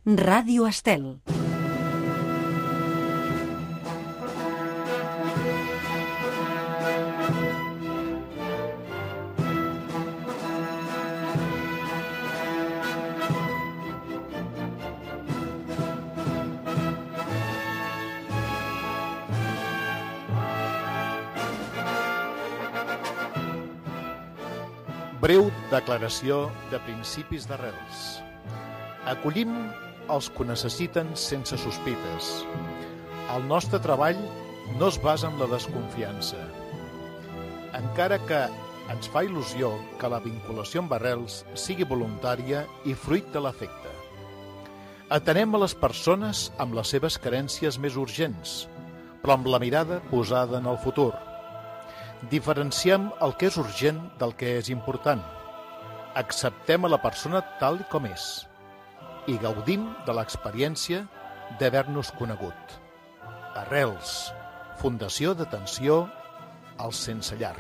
Ràdio Estel. Breu declaració de principis d'arrels. Acollim els que ho necessiten sense sospites. El nostre treball no es basa en la desconfiança. Encara que ens fa il·lusió que la vinculació amb arrels sigui voluntària i fruit de l'afecte. Atenem a les persones amb les seves carències més urgents, però amb la mirada posada en el futur. Diferenciem el que és urgent del que és important. Acceptem a la persona tal com és i gaudim de l'experiència d'haver-nos conegut. Arrels, Fundació d'Atenció als Sense Llar.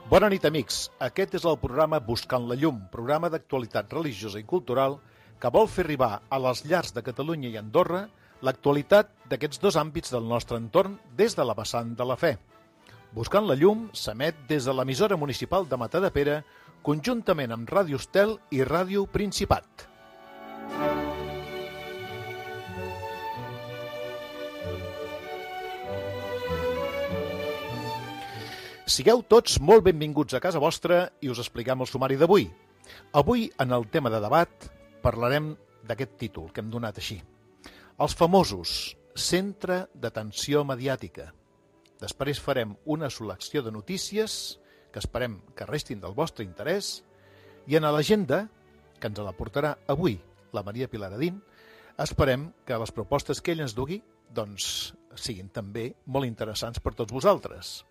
Bona nit, amics. Aquest és el programa Buscant la Llum, programa d'actualitat religiosa i cultural que vol fer arribar a les llars de Catalunya i Andorra l'actualitat d'aquests dos àmbits del nostre entorn des de la vessant de la fe. Buscant la Llum s'emet des de l'emissora municipal de Matadepera, conjuntament amb Ràdio Estel i Ràdio Principat. Sigueu tots molt benvinguts a casa vostra i us expliquem el sumari d'avui. Avui, en el tema de debat, parlarem d'aquest títol que hem donat així. Els famosos, centre d'atenció mediàtica. Després farem una selecció de notícies que esperem que restin del vostre interès i en l'agenda, que ens la portarà avui la Maria Pilar Adín, esperem que les propostes que ell ens dugui siguin també molt interessants per tots vosaltres.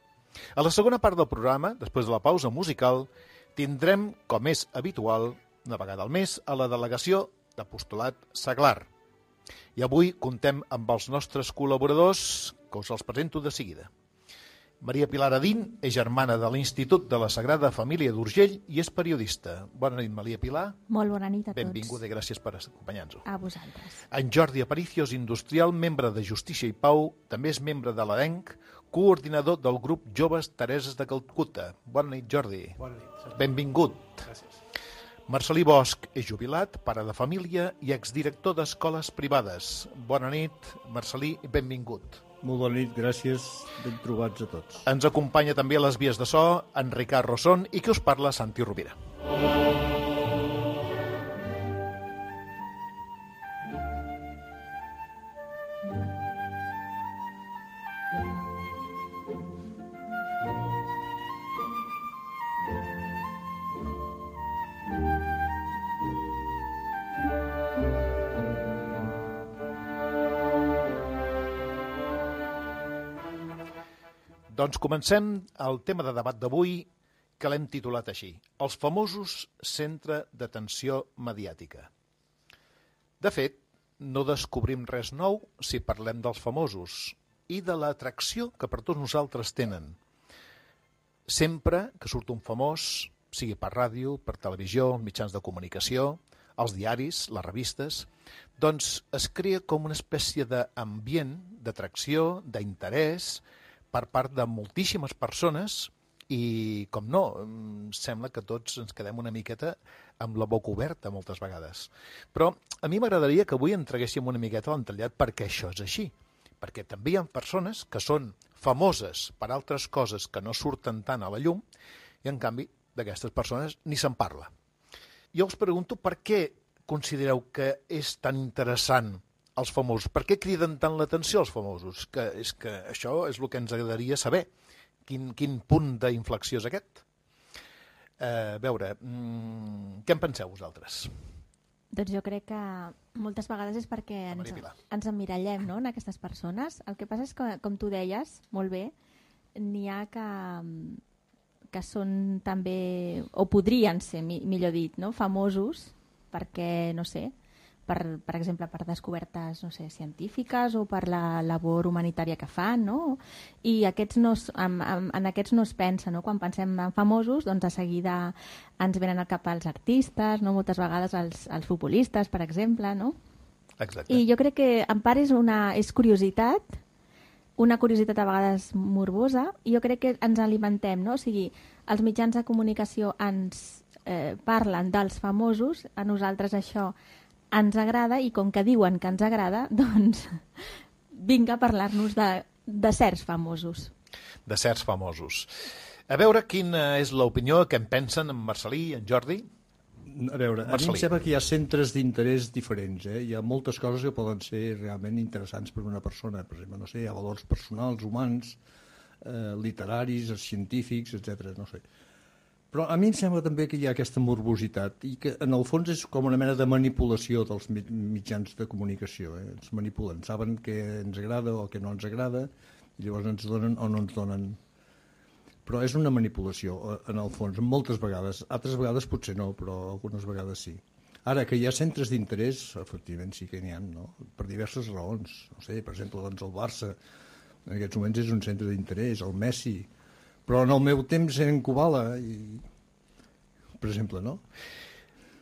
A la segona part del programa, després de la pausa musical, tindrem, com és habitual, una vegada al mes, a la delegació d'Apostolat Seglar. I avui contem amb els nostres col·laboradors, que us els presento de seguida. Maria Pilar Adín és germana de l'Institut de la Sagrada Família d'Urgell i és periodista. Bona nit, Maria Pilar. Molt bona nit a tots. Benvinguda i gràcies per acompanyar-nos. A vosaltres. En Jordi Aparicio és industrial, membre de Justícia i Pau, també és membre de l'ADENC, coordinador del grup Joves Tereses de Calcuta. Bona nit, Jordi. Bona nit. Benvingut. Gràcies. Marcelí Bosch és jubilat, pare de família i exdirector d'escoles privades. Bona nit, Marcelí, i benvingut. Molt bona nit, gràcies. Ben trobats a tots. Ens acompanya també a les vies de so en Ricard Rosson i qui us parla, Santi Rovira. Doncs comencem el tema de debat d'avui que l'hem titulat així. Els famosos centre d'atenció mediàtica. De fet, no descobrim res nou si parlem dels famosos i de l'atracció que per tots nosaltres tenen. Sempre que surt un famós, sigui per ràdio, per televisió, mitjans de comunicació, els diaris, les revistes, doncs es crea com una espècie d'ambient, d'atracció, d'interès, per part de moltíssimes persones i, com no, sembla que tots ens quedem una miqueta amb la boca oberta moltes vegades. Però a mi m'agradaria que avui entreguéssim una miqueta a l'entrellat perquè això és així. Perquè també hi ha persones que són famoses per altres coses que no surten tant a la llum i, en canvi, d'aquestes persones ni se'n parla. Jo us pregunto per què considereu que és tan interessant els famosos. Per què criden tant l'atenció els famosos? Que és que això és el que ens agradaria saber. Quin punt d'inflexió és aquest? A veure, què en penseu vosaltres? Doncs jo crec que moltes vegades és perquè ens emmirallem, no?, en aquestes persones. El que passa és que, com tu deies, molt bé, n'hi ha que són també, o podrien ser, millor dit, no?, famosos, perquè, no sé, per exemple, per descobertes, no sé, científiques o per la labor humanitària que fan, no? I en aquests no es pensa, no? Quan pensem en famosos, doncs de seguida ens venen al cap els artistes, no? Moltes vegades els futbolistes, per exemple, no? Exacte. I jo crec que en part és curiositat, una curiositat a vegades morbosa, i jo crec que ens alimentem, no? O sigui, els mitjans de comunicació ens parlen dels famosos, a nosaltres això ens agrada, i com que diuen que ens agrada, doncs vinga a parlar-nos de certs famosos. De certs famosos. A veure quina és l'opinió que en pensen en Marcelí i en Jordi. A veure, a mi em sembla que hi ha centres d'interès diferents. Hi ha moltes coses que poden ser realment interessants per una persona. Per exemple, no sé, hi ha valors personals, humans, literaris, científics, etc. No sé. Però a mi em sembla també que hi ha aquesta morbositat i que en el fons és com una mena de manipulació dels mitjans de comunicació. Ens manipulen, saben què ens agrada o què no ens agrada, i llavors ens donen o no ens donen. Però és una manipulació, en el fons, moltes vegades. Altres vegades potser no, però algunes vegades sí. Ara, que hi ha centres d'interès, efectivament sí que n'hi ha, no? Per diverses raons. No sé, per exemple, doncs el Barça en aquests moments és un centre d'interès, el Messi. Però en el meu temps eren Kubala, per exemple, no?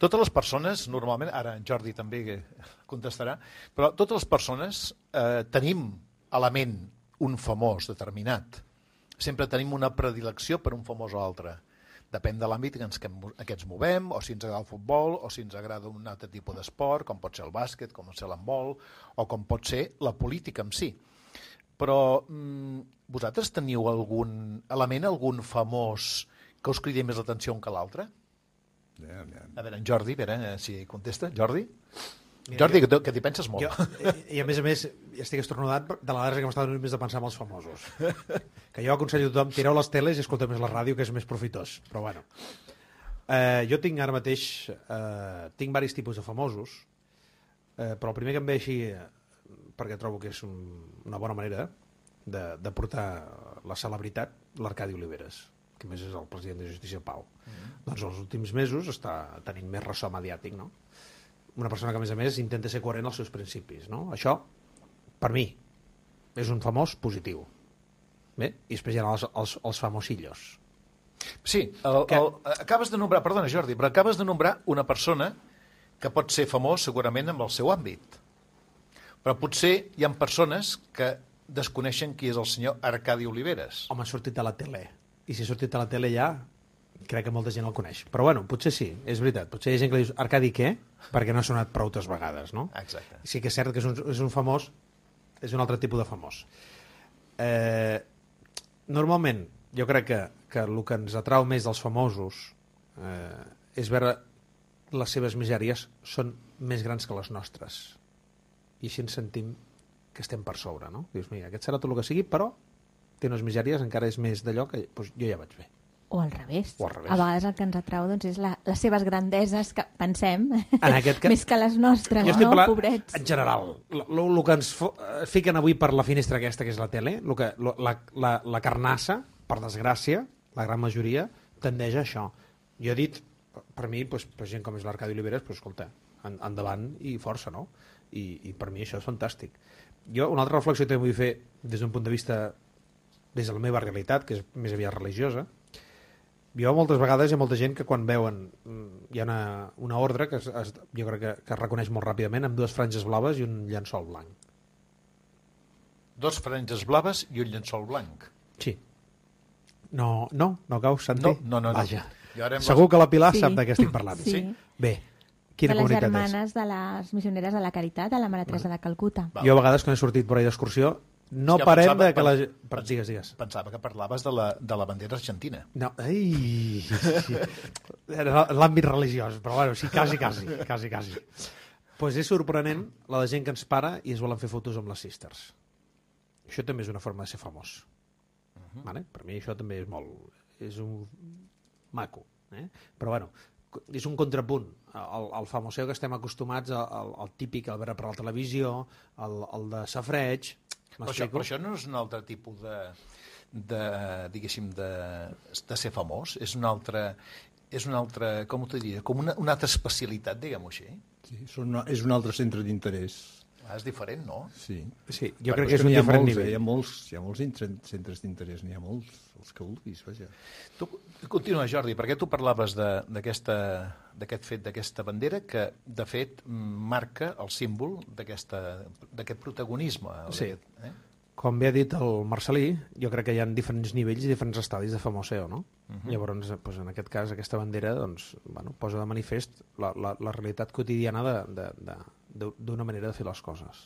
Totes les persones, normalment, ara en Jordi també contestarà, però totes les persones tenim a la ment un famós determinat. Sempre tenim una predilecció per un famós o altre. Depèn de l'àmbit en què ens movem, o si ens agrada el futbol, o si ens agrada un altre tipus d'esport, com pot ser el bàsquet, com pot ser l'handbol, o com pot ser la política en si. Però vosaltres teniu algun element, algun famós que us cridi més l'atenció un que l'altre? A veure, en Jordi, a veure si contesta. Jordi? Jordi, que t'hi penses molt. I a més, estic estornudat de la vegada que m'estava donant més de pensar en els famosos. Que jo aconsello a tothom, tireu les teles i escolteu més la ràdio, que és més profitós. Però bueno. Jo tinc ara mateix tinc diversos tipus de famosos, però el primer que em ve així, perquè trobo que és una bona manera de portar la celebritat, l'Arcadi Oliveres, que més és el president de Justícia Pau. Doncs els últims mesos està tenint més ressò mediàtic, no? Una persona que, a més, intenta ser coherent als seus principis, no? Això, per mi, és un famós positiu. Bé? I després hi ha els famosillos. Sí, acabes de nombrar, perdona Jordi, però acabes de nombrar una persona que pot ser famós segurament amb el seu àmbit. Però potser hi ha persones que desconeixen qui és el senyor Arcadi Oliveres. Home, ha sortit a la tele. I si ha sortit a la tele ja, crec que molta gent el coneix. Però bueno, potser sí, és veritat. Potser hi ha gent que li dius, Arcadi què? Perquè no ha sonat prou vegades, no? Exacte. Sí que és cert que és un famós, és un altre tipus de famós. Normalment, jo crec que el que ens atrau més dels famosos és veure les seves misèries són més grans que les nostres. I així ens sentim que estem per sobre, no? Dius, mira, aquest serà tot el que sigui, però té unes misèries, encara és més d'allò que doncs, jo ja vaig bé. O al revés. A vegades el que ens atrau doncs, és les seves grandeses, que pensem, més que les nostres, jo estic no, pobrets. En general, el que ens fiquen avui per la finestra aquesta, que és la tele, la carnassa, per desgràcia, la gran majoria, tendeix a això. Jo he dit, per mi, doncs, per gent com és l'Arcadi Oliveres, doncs, escolta, endavant i força, no? I per mi això és fantàstic. Jo, una altra reflexió que vull fer des d'un punt de vista, des de la meva realitat, que és més aviat religiosa, jo moltes vegades hi ha molta gent que quan veuen hi ha una ordre que jo crec que es reconeix molt ràpidament amb dues franges blaves i un llençol blanc. Dos franges blaves i un llençol blanc. Sí. No cau, Santi? No. Vaja. Segur que la Pilar sap de què estic parlant. Sí. Bé, quina comunitat és? De les germanes de les missioneres de la Caritat, de la Mare Teresa de Calcuta. Jo a vegades quan he sortit per ahí d'excursió no parem de que la... Digues. Pensava que parlaves de la bandera argentina. No, ai... Era l'àmbit religiós, però bueno, sí, quasi. Pues és sorprenent la de gent que ens para i es volen fer fotos amb les sisters. Això també és una forma de ser famós. Vale? Per mi això també és molt... És un maco. Però bueno, és un contrapunt. El famoseu que estem acostumats, el típic, el veure per la televisió, el de safreig... Però això no és un altre tipus diguéssim, de ser famós? És un altre com t'ho diria? Com una altra especialitat, diguem-ho així? Sí, és un altre centre d'interès. És diferent, no? Sí, jo crec que és un diferent nivell. Hi ha molts centres d'interès, n'hi ha molts, els que vulguis, vaja. Tu, continua, Jordi, perquè tu parlaves d'aquest fet, d'aquesta bandera, que, de fet, marca el símbol d'aquest protagonisme. Sí. Com bé ha dit el Marcelí, jo crec que hi ha diferents nivells i diferents estadis de famoseo, no? Llavors, doncs, en aquest cas, aquesta bandera posa de manifest la realitat quotidiana d'una manera de fer les coses.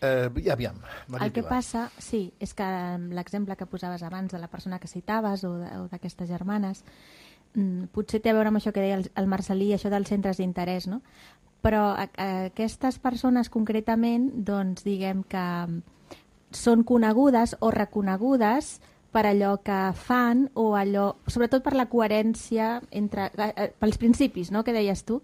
Aviam, el que passa, sí, és que l'exemple que posaves abans de la persona que citaves o d'aquestes germanes, potser té a veure amb això que deia el Marcelí, això dels centres d'interès, no? Però aquestes persones concretament, doncs diguem que són conegudes o reconegudes per allò que fan o allò, sobretot per la coherència pels principis, no?, que deies tu,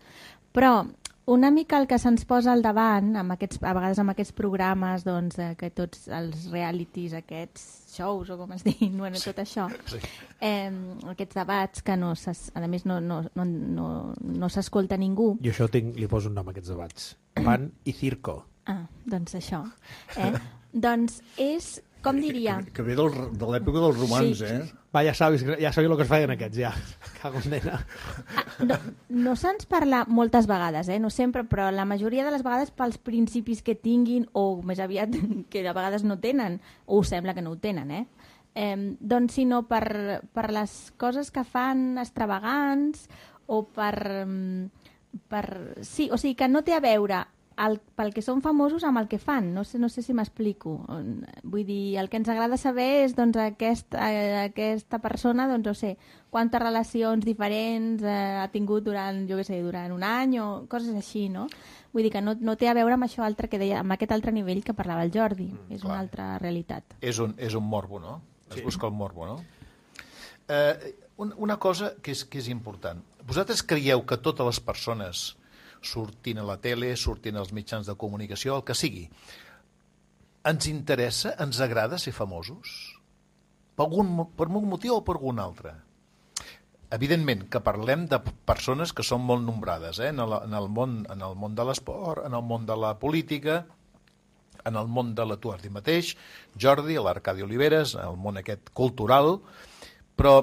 però una mica el que se'ns posa al davant, a vegades amb aquests programes, doncs, que tots els realities, aquests shows, o com es diuen, bueno, tot això, aquests debats que, a més, no s'escolta ningú. Jo això li poso un nom a aquests debats. Pan i circo. Ah, doncs això. Doncs és, com diria... Que ve de l'època dels romans, sí. Va, ja sabis el que es feien aquests, ja. Cago en nena. No se'ns parla moltes vegades, no sempre, però la majoria de les vegades pels principis que tinguin, o més aviat que a vegades no tenen, o sembla que no ho tenen, doncs sinó per les coses que fan extravagants, o sí, o sigui, que no té a veure pel que són famosos amb el que fan. No sé si m'explico. Vull dir, el que ens agrada saber és doncs, aquesta persona, doncs, no sé, quantes relacions diferents ha tingut durant un any o coses així, no? Vull dir que no té a veure amb això altre que deia, amb aquest altre nivell que parlava el Jordi. És una altra realitat. És un morbo, no? Es busca el morbo, no? Una cosa que és important. Vosaltres creieu que totes les persones sortint a la tele, sortint als mitjans de comunicació, el que sigui, ens interessa, ens agrada ser famosos? Per algun motiu o per algun altre? Evidentment que parlem de persones que són molt nombrades, en el món de l'esport, en el món de la política, en el món de tu ara mateix, Jordi, l'Arcadi Oliveres, en el món aquest cultural, però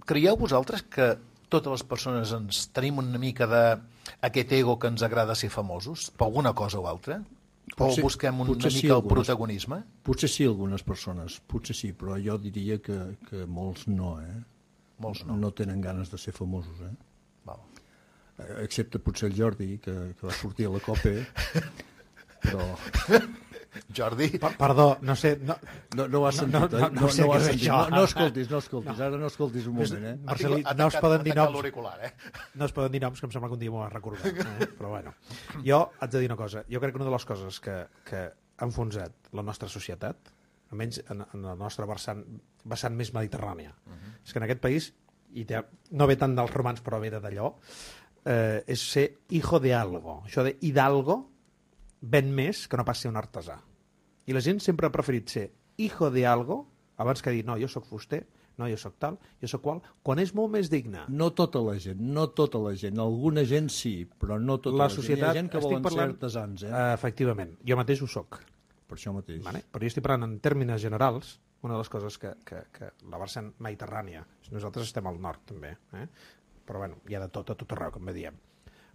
creieu vosaltres que totes les persones ens tenim una mica d'aquest ego que ens agrada ser famosos, per alguna cosa o altra? O busquem una mica el protagonisme? Potser sí, algunes persones, potser sí, però jo diria que molts no, Molts no. No tenen ganes de ser famosos, Val. Excepte potser el Jordi, que va sortir a la COPE, però... Jordi... Perdó, no sé... No ho has sentit, no sé què és això. No escoltis, ara no escoltis un moment, Marcelí, no es poden dir noms. No es poden dir noms, que em sembla que un dia m'ho has recordat. Però bueno, jo haig de dir una cosa. Jo crec que una de les coses que ha enfonsat la nostra societat, almenys en la nostra vessant més mediterrània, és que en aquest país, i no ve tant dels romans però ve d'allò, és ser hijo de algo. Això de hidalgo ven més que no pas ser un artesà. I la gent sempre ha preferit ser hijo de algo abans que dir, no, jo sóc fuster, no, jo sóc tal, jo sóc qual, quan és molt més digne. No tota la gent. Alguna gent sí, però no tota la gent. Hi ha gent que volen ser artesans. Efectivament, jo mateix ho soc. Per això mateix. Vale? Però jo estic parlant en termes generals, una de les coses que la vessant mediterrània, nosaltres estem al nord també, però bueno, hi ha de tot, a tot arreu, com bé diem.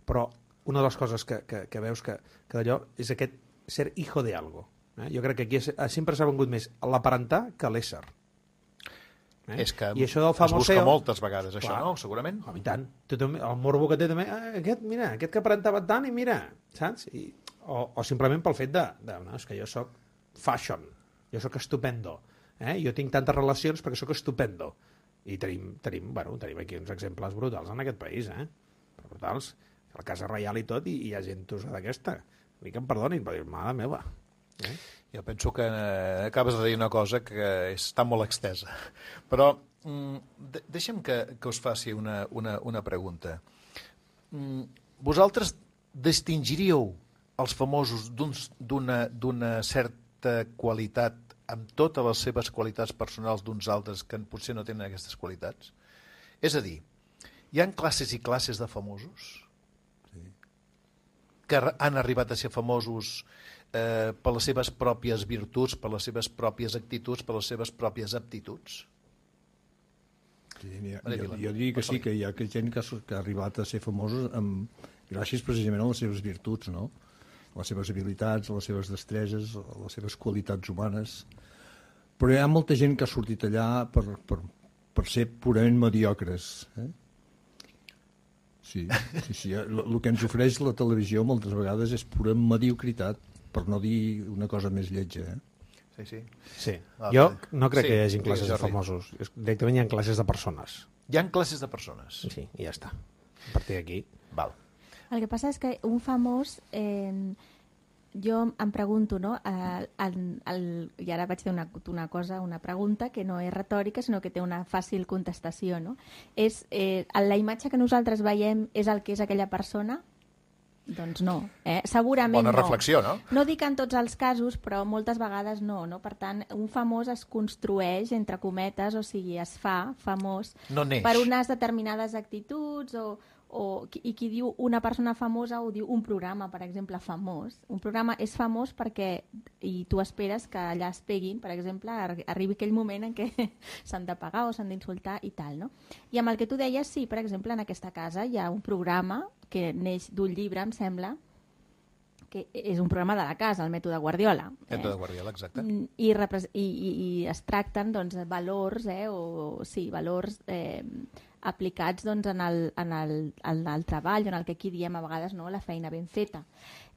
Però una de les coses que veus que d'allò és aquest ser hijo de algo. Jo crec que aquí sempre s'ha vengut més l'aparentar que l'ésser. És que I això del famoseo, es busca moltes vegades, això, no? Segurament. I tant. El morbo que té també, aquest que aparentava tant i mira, saps? O simplement pel fet no, és que jo sóc fashion, jo sóc estupendo, jo tinc tantes relacions perquè sóc estupendo. I tenim aquí uns exemples brutals en aquest país, brutals. La Casa Reial i tot, i hi ha gent d'aquesta. Vull que em perdonin, però mare meva. Jo penso que acabes de dir una cosa que està molt extesa. Però deixa'm que us faci una pregunta. Vosaltres distingiríeu els famosos d'una certa qualitat amb totes les seves qualitats personals d'uns altres que potser no tenen aquestes qualitats? És a dir, hi ha classes i classes de famosos? que han arribat a ser famosos per les seves pròpies virtuts, per les seves pròpies actituds, per les seves pròpies aptituds? Sí, jo diria que sí, que hi ha gent que ha arribat a ser famosos gràcies precisament a les seves virtuts, no? A les seves habilitats, a les seves destreses, a les seves qualitats humanes. Però hi ha molta gent que ha sortit allà per ser purament mediocres. Sí. El que ens ofereix la televisió moltes vegades és pura mediocritat, per no dir una cosa més lletja. Sí. Jo no crec que hi hagi classes de famosos. Directament hi ha classes de persones. Hi ha classes de persones? Sí, i ja està. A partir d'aquí... Val. El que passa és que un famós... jo em pregunto, no? I ara vaig fer una pregunta que no és retòrica, sinó que té una fàcil contestació, no? La imatge que nosaltres veiem és el que és aquella persona? Doncs no. Segurament Bona reflexió, no? No dic en tots els casos, però moltes vegades no. Per tant, un famós es construeix, entre cometes, o sigui, es fa famós per unes determinades actituds i qui diu una persona famosa ho diu un programa, per exemple, famós. Un programa és famós perquè i tu esperes que allà es peguin, per exemple, arribi aquell moment en què s'han de pagar o s'han d'insultar i tal, no? I amb el que tu deies, sí, per exemple, en aquesta casa hi ha un programa que neix d'un llibre, em sembla, que és un programa de la casa, el mètode Guardiola. Mètode Guardiola, exacte. I es tracten valors, valors aplicats en el treball, en el que aquí diem a vegades la feina ben feta.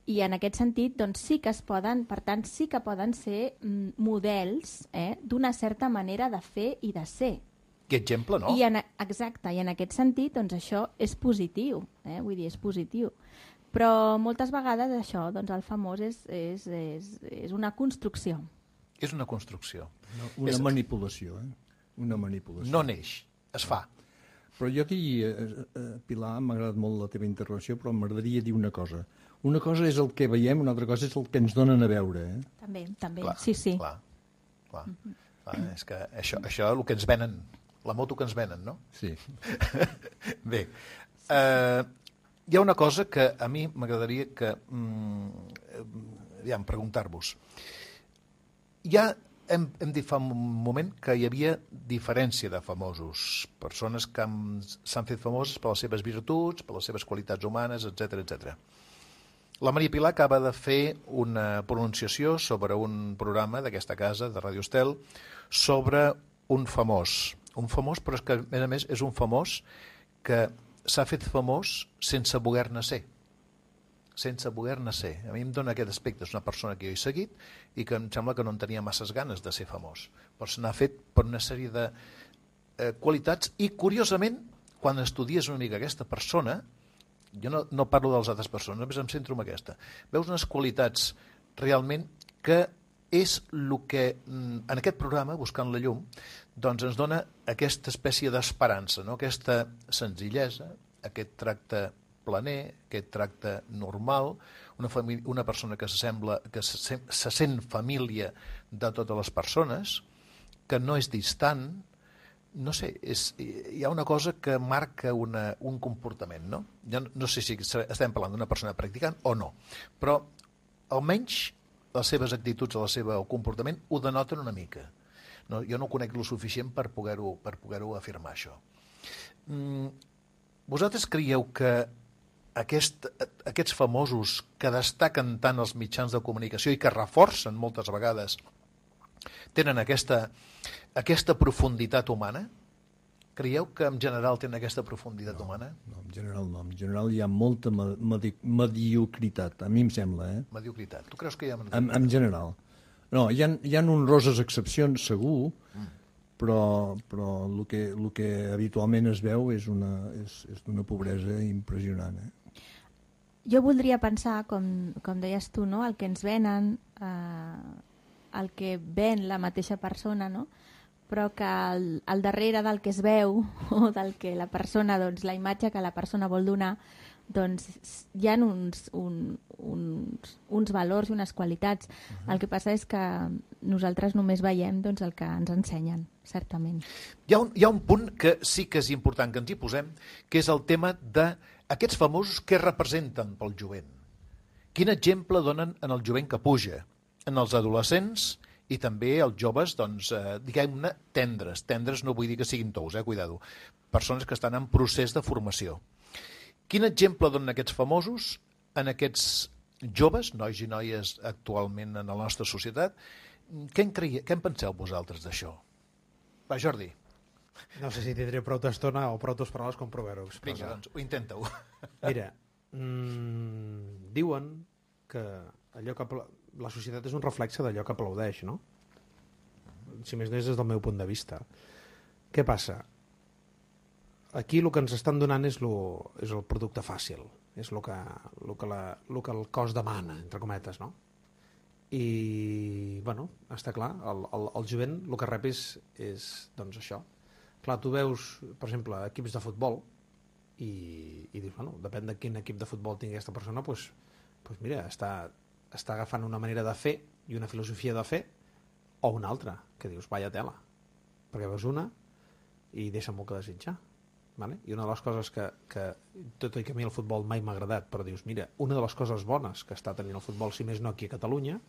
I en aquest sentit sí que es poden, per tant, sí que poden ser models d'una certa manera de fer i de ser. Que exemple, no? Exacte, i en aquest sentit això és positiu, vull dir, és positiu. Però moltes vegades això, el famós és una construcció. És una construcció. Una manipulació, Una manipulació. No neix, es fa. Però jo Pilar, m'ha agradat molt la teva intervenció, però m'agradaria dir una cosa. Una cosa és el que veiem, una altra cosa és el que ens donen a veure. També, clar, sí. Clar. És que això és el que ens venen, la moto que ens venen, no? Sí. Bé, hi ha una cosa que a mi m'agradaria preguntar-vos. Hem dit fa un moment que hi havia diferència de famosos, persones que s'han fet famoses per les seves virtuts, per les seves qualitats humanes, etc. La Maria Pilar acaba de fer una pronunciació sobre un programa d'aquesta casa, de Ràdio Estel, sobre un famós, però és que, a més, és un famós que s'ha fet famós sense voler-ne ser. Sense voler-ne ser. A mi em dona aquest aspecte. És una persona que jo he seguit i que em sembla que no en tenia masses ganes de ser famós. Però se n'ha fet per una sèrie de qualitats i, curiosament, quan estudies una mica aquesta persona, jo no parlo de les altres persones, només em centro en aquesta, veus unes qualitats realment que és el que en aquest programa, Buscant la llum, doncs ens dona aquesta espècie d'esperança, no? Aquesta senzillesa, aquest tracte planer, aquest tracte normal, una persona que se sent família de totes les persones, que no és distant, no sé, hi ha una cosa que marca un comportament, no? Jo no sé si estem parlant d'una persona practicant o no, però almenys les seves actituds, el seu comportament ho denoten una mica. No, jo no conec lo suficient per poder-ho afirmar, això. Vosaltres creieu que aquests famosos que destaquen tant els mitjans de comunicació i que reforcen moltes vegades tenen aquesta profunditat humana? Creieu que en general tenen aquesta profunditat humana? No, en general no. En general hi ha molta mediocritat, a mi em sembla. Mediocritat. Tu creus que hi ha... En general. No, hi ha honroses excepcions, segur, però el que habitualment es veu és d'una pobresa impressionant. Jo voldria pensar, com deies tu, no? El que ens venen, el que ven la mateixa persona, no? Però que al darrere del que es veu o del que la persona, doncs, la imatge que la persona vol donar, doncs hi ha uns valors i unes qualitats. El que passa és que nosaltres només veiem el que ens ensenyen, certament. Hi ha un punt que sí que és important que ens hi posem, que és el tema d'aquests famosos que representen pel jovent. Quin exemple donen en el jovent que puja, en els adolescents i també els joves, doncs, diguem-ne, tendres no vull dir que siguin tous, cuidado, persones que estan en procés de formació. Quin exemple donen aquests famosos en aquests joves, nois i noies actualment en la nostra societat? Què en penseu vosaltres d'això? Va, Jordi. No sé si tindré prou estona o prou paraules com provar-ho. Vinga, doncs, ho intenta-ho. Mira, diuen que allò que la societat és un reflexe d'allò que aplaudeix, no? Si més no és des del meu punt de vista. Què passa? Aquí el que ens estan donant és el producte fàcil, és el que el cos demana, entre cometes, no? I, bueno, està clar, el jovent el que rep és doncs això. Clar, tu veus, per exemple, equips de futbol i dius, bueno, depèn de quin equip de futbol tingui aquesta persona, doncs mira, està agafant una manera de fer i una filosofia de fer o una altra, que dius, vaya tela, perquè veus una i deixa molt que desitjar. Vale? I una de les coses que tot i que a mi el futbol mai m'ha agradat, però dius, mira, una de les coses bones que està tenint el futbol, si més no aquí a Catalunya,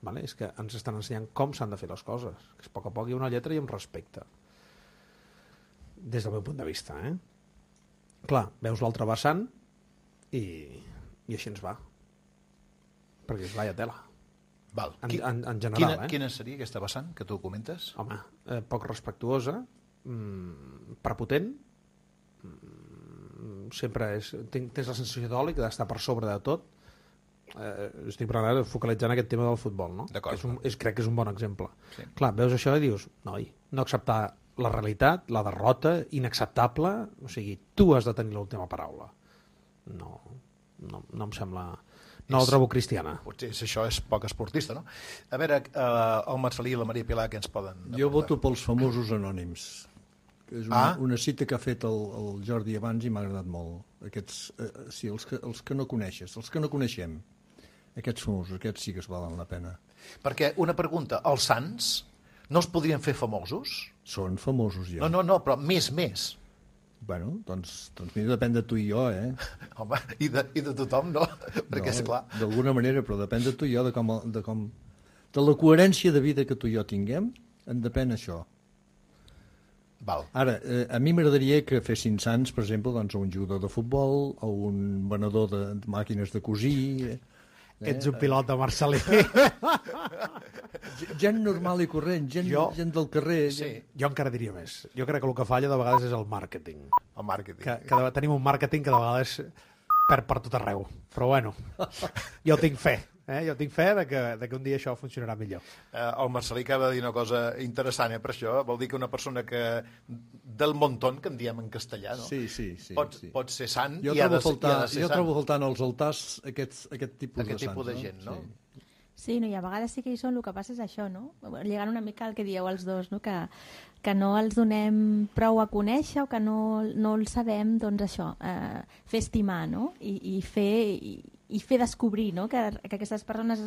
vale? És que ens estan ensenyant com s'han de fer les coses, que a poc a poc hi ha una lletra i un respecte, des del meu punt de vista, Clar, veus l'altre vessant i així ens va, perquè és vaya tela. Val. En general, Quina seria aquesta vessant que tu comentes? Home, poc respectuosa, prepotent, sempre tens la sensació d'oli que d'estar per sobre de tot. Estic parlant focalitzant aquest tema del futbol, no? Crec que és un bon exemple. Sí. Clar, veus això i dius, noi, no acceptar la realitat, la derrota, inacceptable, o sigui, tu has de tenir l'última paraula. No em sembla... No la trobo cristiana. Potser això és poc esportista, no? A veure, el Marcelí i la Maria Pilar, què ens poden aportar? Jo voto pels famosos anònims. És una cita que ha fet el Jordi abans i m'ha agradat molt. Sí, els que no coneixes, els que no coneixem. Aquests famosos, aquests sí que es valen la pena. Perquè, una pregunta, els sants no els podrien fer famosos? Són famosos ja. No, però més. Bueno, doncs mira, depèn de tu i jo, Home, i de tothom, no? Perquè, és clar... D'alguna manera, però depèn de tu i jo, de la coherència de vida que tu i jo tinguem, en depèn això. Val. Ara, a mi m'agradaria que fessin sants, per exemple, doncs, un jugador de futbol o un venedor de màquines de cosir... Ets un pilot de Marcelí. Gent normal i corrent, gent del carrer. Sí. Jo encara diria més. Jo crec que el que falla de vegades és el màrqueting. El màrqueting. Que tenim un màrqueting que de vegades perd per tot arreu. Però bueno, jo tinc fe. Jo tinc fe de que un dia això funcionarà millor. El Marcelí acaba de dir una cosa interessant, per això. Vol dir que una persona del montón, que en diem en castellà, no? Sí. Pot ser sant i ha de ser sant. Jo trobo faltant als altars aquest tipus de sants. Aquest tipus de gent, no? Sí, no, i a vegades sí que hi són, el que passa és això, no? Lligant una mica al que dieu els dos, no? Que no els donem prou a conèixer o que no els sabem, doncs això, fer estimar, no? I fer descobrir, no? Que aquestes persones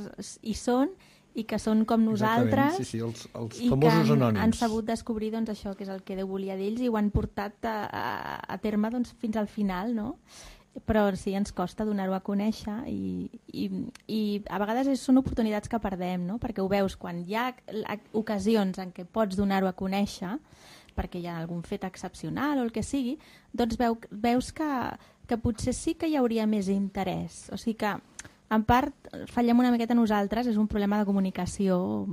hi són i que són com nosaltres. Sí, els famosos anònims. I que han sabut descobrir doncs, això, que és el que Déu volia d'ells, i ho han portat a terme doncs, fins al final, no? Però sí, ens costa donar-ho a conèixer i a vegades són oportunitats que perdem, no? Perquè ho veus quan hi ha ocasions en què pots donar-ho a conèixer, perquè hi ha algun fet excepcional o el que sigui, doncs veus que potser sí que hi hauria més interès. O sigui que, en part, fallem una miqueta nosaltres, és un problema de comunicació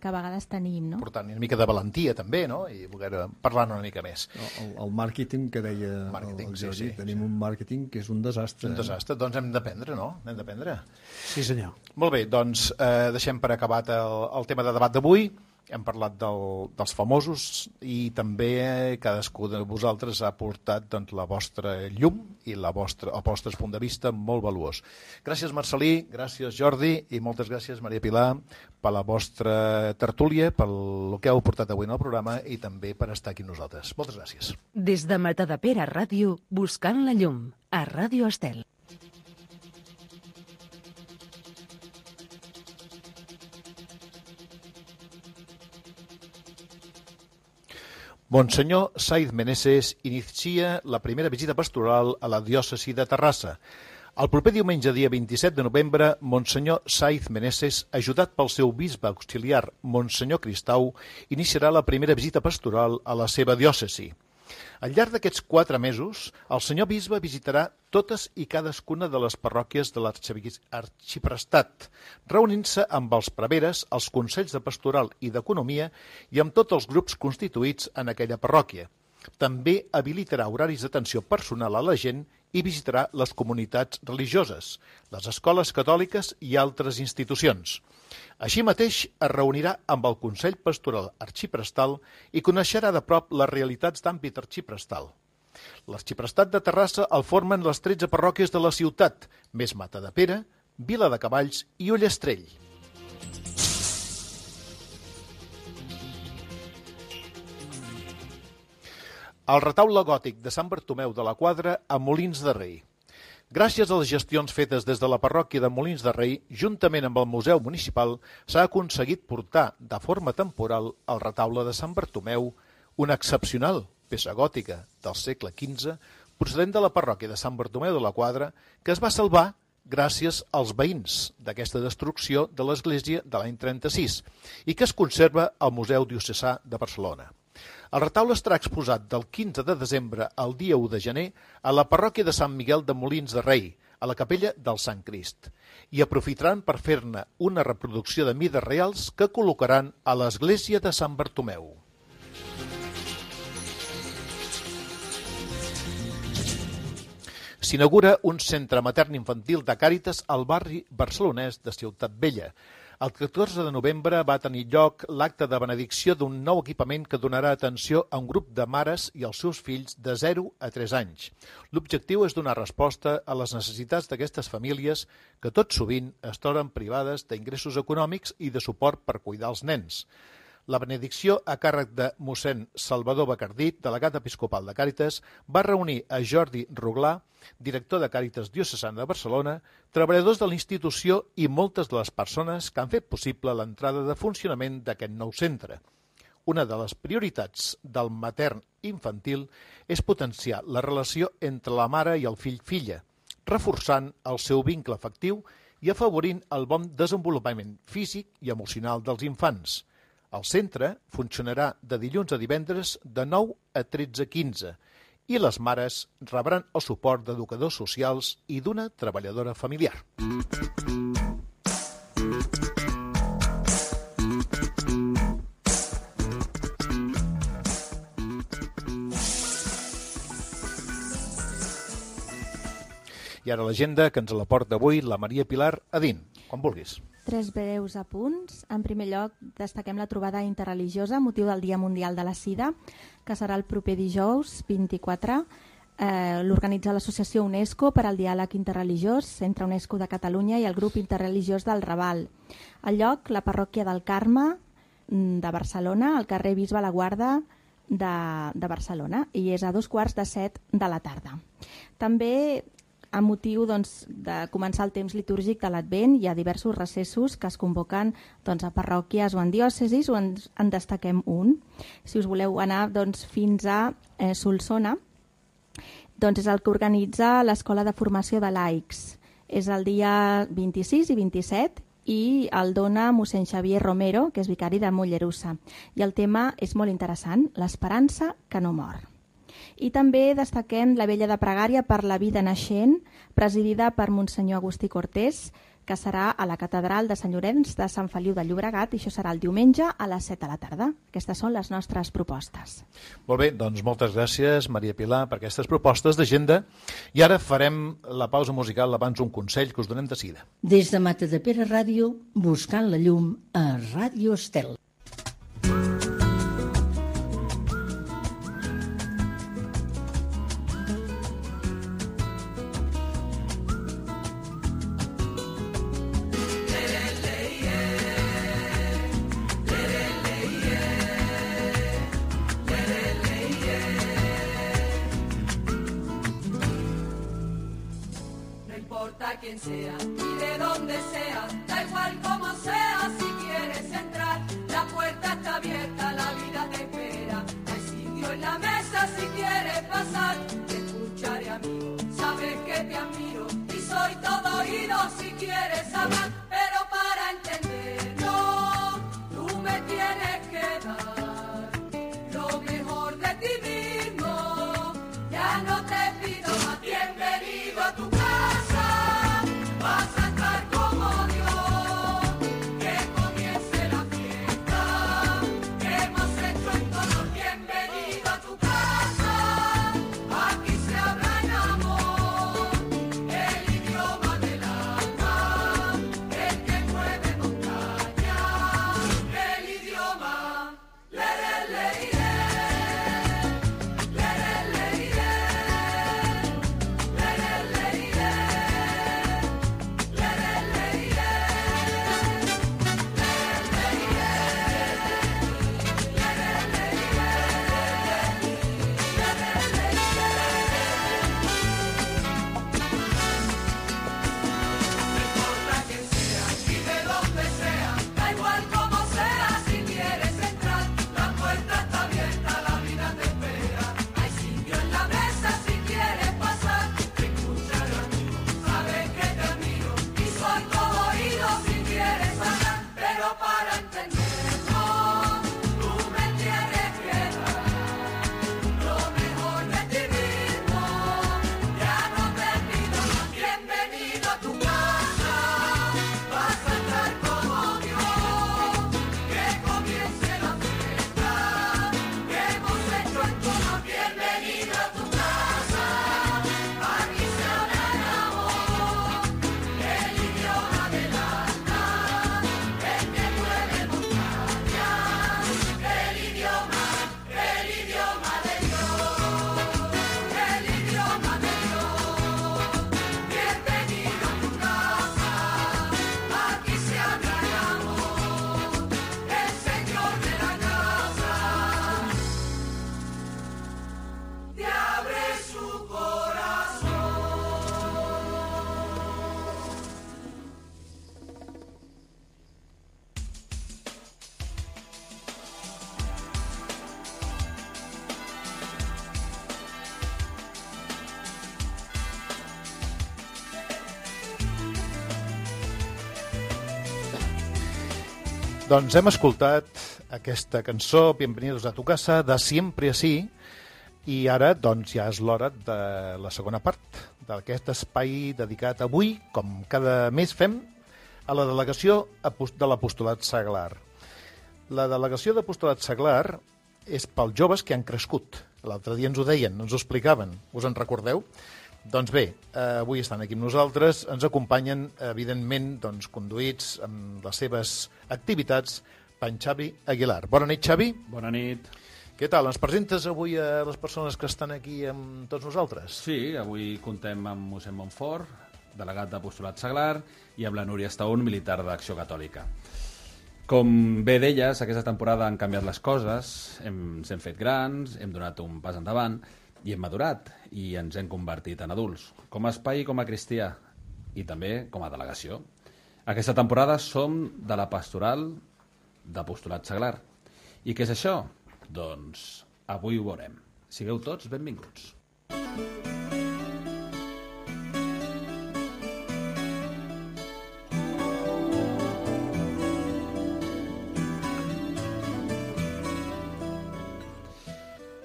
que a vegades tenim, no? Per tant, una mica de valentia també, no? I voler parlar una mica més. El màrqueting que deia el Jordi, tenim un màrqueting que és un desastre. Un desastre, doncs hem d'aprendre, no? Hem d'aprendre. Sí, senyor. Molt bé, doncs deixem per acabat el tema de debat d'avui. Hem parlat dels famosos i també cadascú de vosaltres ha portat doncs, la vostra llum i el vostre punt de vista molt valuós. Gràcies, Marcelí, gràcies, Jordi, i moltes gràcies, Maria Pilar, per la vostra tertúlia, pel que heu portat avui en el programa i també per estar aquí amb nosaltres. Moltes gràcies. Des de Matadepera Ràdio, buscant la llum, a Ràdio Estel. Monsenyor Saiz Meneses inicia la primera visita pastoral a la diòcesi de Terrassa. El proper diumenge, dia 27 de novembre, Monsenyor Saiz Meneses, ajudat pel seu bisbe auxiliar, Monsenyor Cristau, iniciarà la primera visita pastoral a la seva diòcesi. Al llarg d'aquests 4 mesos, el senyor bisbe visitarà totes i cadascuna de les parròquies de l'arxiprestat, reunint-se amb els preveres, els consells de pastoral i d'economia i amb tots els grups constituïts en aquella parròquia. També habilitarà horaris d'atenció personal a la gent i visitarà les comunitats religioses, les escoles catòliques i altres institucions. Així mateix es reunirà amb el Consell Pastoral Arxiprestal i coneixerà de prop les realitats d'àmbit arxiprestal. L'arxiprestat de Terrassa el formen les 13 parròquies de la ciutat, més Matadepera, Vila de Cavalls i Ullastrell. El retaule gòtic de Sant Bartomeu de la Quadra a Molins de Rei. Gràcies a les gestions fetes des de la parròquia de Molins de Rei, juntament amb el Museu Municipal, s'ha aconseguit portar de forma temporal al retaule de Sant Bartomeu, una excepcional peça gòtica del segle XV, procedent de la parròquia de Sant Bartomeu de la Quadra, que es va salvar gràcies als veïns d'aquesta destrucció de l'església de l'any 36 i que es conserva al Museu Diocesà de Barcelona. El retaule estarà exposat del 15 de desembre al dia 1 de gener a la parròquia de Sant Miguel de Molins de Rei, a la capella del Sant Crist, i aprofitaran per fer-ne una reproducció de mides reals que col·locaran a l'església de Sant Bartomeu. S'inaugura un centre matern-infantil de Càritas al barri barcelonès de Ciutat Vella. El 14 de novembre va tenir lloc l'acte de benedicció d'un nou equipament que donarà atenció a un grup de mares i als seus fills de 0 a 3 anys. L'objectiu és donar resposta a les necessitats d'aquestes famílies que tot sovint es troben privades d'ingressos econòmics i de suport per cuidar els nens. La benedicció a càrrec de mossèn Salvador Bacardí, delegat episcopal de Càritas, va reunir a Jordi Ruglà, director de Càritas Diocesana de Barcelona, treballadors de la institució i moltes de les persones que han fet possible l'entrada de funcionament d'aquest nou centre. Una de les prioritats del matern infantil és potenciar la relació entre la mare i el fill-filla, reforçant el seu vincle afectiu i afavorint el bon desenvolupament físic i emocional dels infants. El centre funcionarà de dilluns a divendres de 9 a 13:15 i les mares rebran el suport d'educadors socials i d'una treballadora familiar. I ara l'agenda que ens la porta avui la Maria Pilar Adín, quan vulguis. 3 breus apunts. En primer lloc, destaquem la trobada interreligiosa, motiu del Dia Mundial de la Sida, que serà el proper dijous 24. L'organitza l'Associació UNESCO per al Diàleg Interreligiós entre UNESCO de Catalunya i el grup interreligiós del Raval. El lloc, la parròquia del Carme de Barcelona, al carrer Bisbe Laguarda de Barcelona, i és a 2:15 de la tarda. També, a motiu de començar el temps litúrgic de l'Advent, hi ha diversos recessos que es convoquen a parròquies o en diòcesis, o en destaquem un. Si us voleu anar fins a Solsona, és el que organitza l'Escola de Formació de Laics. És el dia 26 i 27 i el dona mossèn Xavier Romero, que és vicari de Mollerussa. I el tema és molt interessant, l'esperança que no mor. I també destaquem la vella de pregària per la vida naixent, presidida per Monsenyor Agustí Cortés, que serà a la catedral de Sant Llorenç de Sant Feliu de Llobregat, i això serà el diumenge a les 7 de la tarda. Aquestes són les nostres propostes. Molt bé, doncs moltes gràcies, Maria Pilar, per aquestes propostes d'agenda. I ara farem la pausa musical abans un consell que us donem de seguida. Des de Matadepera Ràdio, buscant la llum a Ràdio Estel. Quien sea y de donde sea, da igual como sea, si quieres entrar, la puerta está abierta, la vida te espera, hay sitio en la mesa si quieres pasar, te escucharé amigo, sabes que te admiro y soy Doncs hem escoltat aquesta cançó, Bienvenidos a tu casa, de Siempre Así, i ara doncs ja és l'hora de la segona part d'aquest espai dedicat avui, com cada mes fem, a la delegació de l'Apostolat Seglar. La delegació d'Apostolat Seglar és pels joves que han crescut. L'altre dia ens ho deien, ens ho explicaven. Us en recordeu? Doncs bé, avui estan aquí amb nosaltres, ens acompanyen, evidentment, doncs, conduïts amb les seves activitats, per en Xavi Aguilar. Bona nit, Xavi. Bona nit. Què tal? Ens presentes avui a les persones que estan aquí amb tots nosaltres? Sí, avui contem amb mossèn Montfort, delegat d'Apostolat Seglar, i amb la Núria Estaún, militar d'Acció Catòlica. Com bé deies, aquesta temporada han canviat les coses, ens hem fet grans, hem donat un pas endavant, i hem madurat i ens hem convertit en adults, com a espai i com a cristià, i també com a delegació. Aquesta temporada som de la pastoral d'Apostolat Seglar. I què és això? Doncs avui ho veurem. Sigueu tots benvinguts.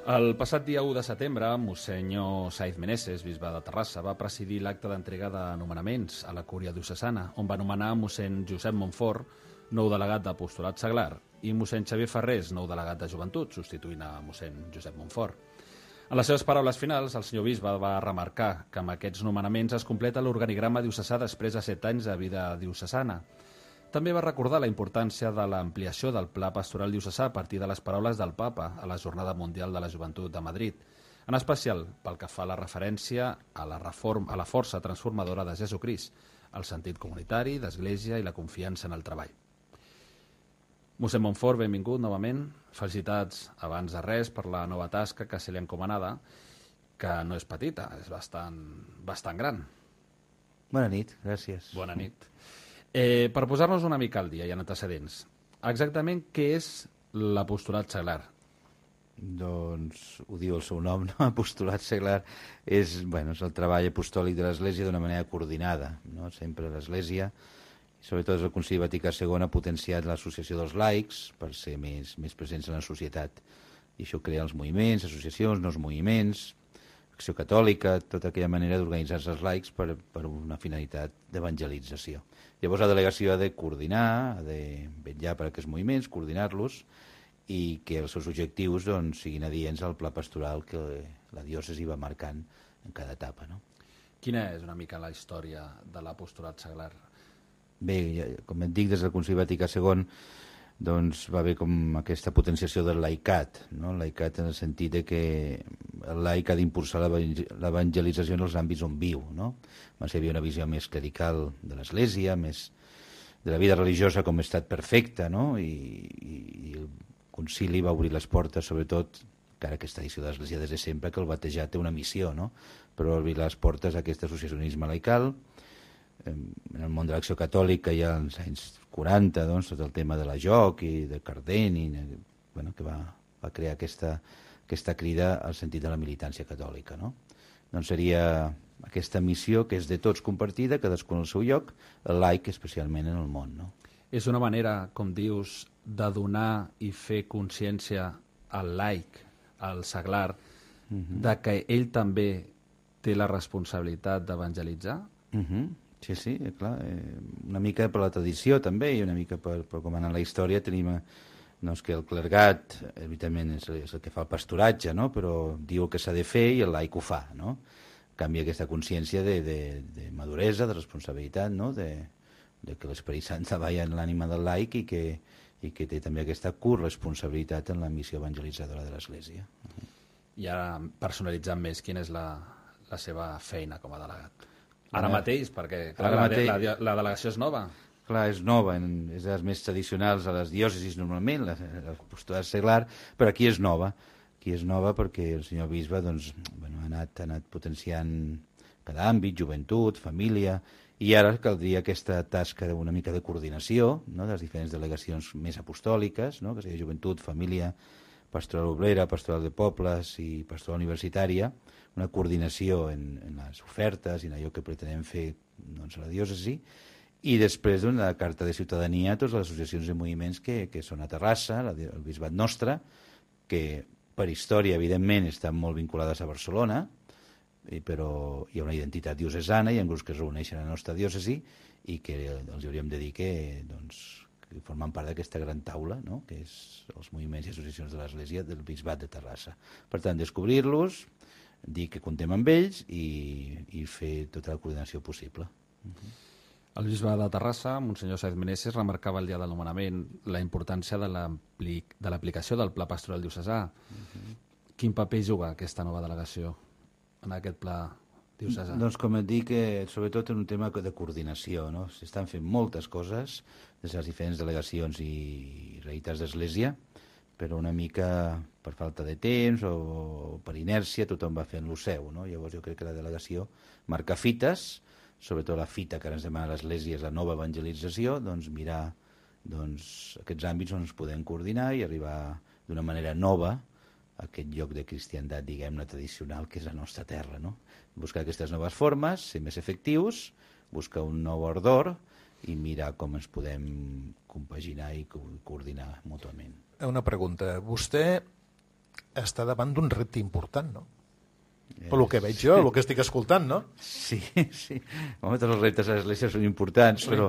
El passat dia 1 de setembre, Monsenyor Saiz Meneses, bisbe de Terrassa, va presidir l'acte d'entrega de nomenaments a la Cúria Diocesana, on va nomenar mossèn Josep Montfort, nou delegat d'Apostolat Seglar, i mossèn Xavier Ferrés, nou delegat de Joventut, substituint a mossèn Josep Montfort. En les seves paraules finals, el senyor bisbe va remarcar que amb aquests nomenaments es completa l'organigrama diocesà després de 7 anys de vida diocesana. També va recordar la importància de l'ampliació del Pla Pastoral Diocesà a partir de les paraules del Papa a la Jornada Mundial de la Joventut de Madrid, en especial pel que fa a la referència a la força transformadora de Jesucrist, el sentit comunitari, d'església i la confiança en el treball. Mossèn Montfort, benvingut novament. Felicitats abans de res per la nova tasca que se li ha encomanada, que no és petita, és bastant gran. Bona nit, gràcies. Bona nit. Per posar-nos una mica al dia i en antecedents, exactament què és l'Apostolat Seglar? Doncs ho diu el seu nom, no? Apostolat Seglar és el treball apostòlic de l'Església d'una manera coordinada, no? Sempre l'Església, sobretot el Concili Vaticà II, ha potenciat l'associació dels laics per ser més presents en la societat. I això crea els moviments, associacions, nous moviments, Acció Catòlica, tota aquella manera d'organitzar-se els laics per una finalitat d'evangelització. Llavors la delegació ha de coordinar, ha de vetllar per aquests moviments, coordinar-los i que els seus objectius siguin adients al pla pastoral que la diòcesi va marcant en cada etapa. No? Quina és una mica la història de l'Apostolat Seglar? Bé, com et dic, des del Concili Vaticà II va haver com aquesta potenciació del laicat, no? El laicat en el sentit de que el laic ha d'impulsar l'evangelització en els àmbits on viu, no? Hi havia una visió més clerical de l'Església, més de la vida religiosa com a estat perfecte, no? I el concili va obrir les portes, sobretot, encara aquesta edició de l'Església des de sempre, que el batejar té una missió, no? Però obrir les portes a aquest associacionisme laical. En el món de l'Acció Catòlica ja als anys 40, tot el tema de la joc i de Cardeni, que va crear aquesta crida al sentit de la militància catòlica. No? Doncs seria aquesta missió que és de tots compartida, cadascú en el seu lloc, el laic especialment en el món. No? És una manera, com dius, de donar i fer consciència al laic, al seglar, de que ell també té la responsabilitat d'evangelitzar? Sí, clar. Una mica per la tradició també i una mica per com anar a la història tenim que el clergat evidentment és el que fa el pastoratge, no? Però diu que s'ha de fer i el laic ho fa. No? Canvia aquesta consciència de maduresa, de responsabilitat, no? de que l'Esperit Sant treballa en l'ànima del laic i que té també aquesta corresponsabilitat en la missió evangelitzadora de l'Església. I ara, personalitzant més, quina és la seva feina com a delegat? Ara mateix, perquè clar, la delegació és nova. Clar, és nova, és de les més tradicionals a les diòcesis normalment, l'Apostolat Seglar, però aquí és nova. Aquí és nova perquè el senyor bisbe ha anat potenciant cada àmbit, joventut, família, i ara caldria aquesta tasca d'una mica de coordinació, no?, de les diferents delegacions més apostòliques, no?, que seria joventut, família, pastoral obrera, pastoral de pobles i pastoral universitària, una coordinació en les ofertes i en allò que pretenem fer a la diòcesi I després una carta de ciutadania a totes les associacions i moviments que són a Terrassa, el bisbat nostre, que per història, evidentment, estan molt vinculades a Barcelona, però hi ha una identitat diocesana, hi ha grups que es reuneixen a la nostra diòcesi i que els hauríem de dir que formen part d'aquesta gran taula, no? Que és els moviments i associacions de l'Església del Bisbat de Terrassa. Per tant, descobrir-los, dir que contem amb ells i fer tota la coordinació possible. El bisbe de Terrassa, Monsenyor Sáez Meneses, remarcava el dia del nomenament la importància de l'aplicació del Pla Pastoral Diocesà. Quin paper juga aquesta nova delegació en aquest pla diocesà? Doncs com et dic, sobretot en un tema de coordinació, no? S'estan fent moltes coses des de les diferents delegacions i realitats d'Església, però una mica per falta de temps o per inèrcia tothom va fent lo seu, no? Llavors jo crec que la delegació marca fites, sobretot la fita que ara ens demana l'Església és la nova evangelització, doncs mirar aquests àmbits on ens podem coordinar i arribar d'una manera nova a aquest lloc de cristiandat, diguem-ne, tradicional, que és la nostra terra, no? Buscar aquestes noves formes, ser més efectius, buscar un nou ardor i mirar com ens podem compaginar i coordinar mútuament. Una pregunta. Vostè està davant d'un repte important, no? Per el que veig jo, el que estic escoltant, no? Sí. Home, tots els reptes a l'Església són importants, però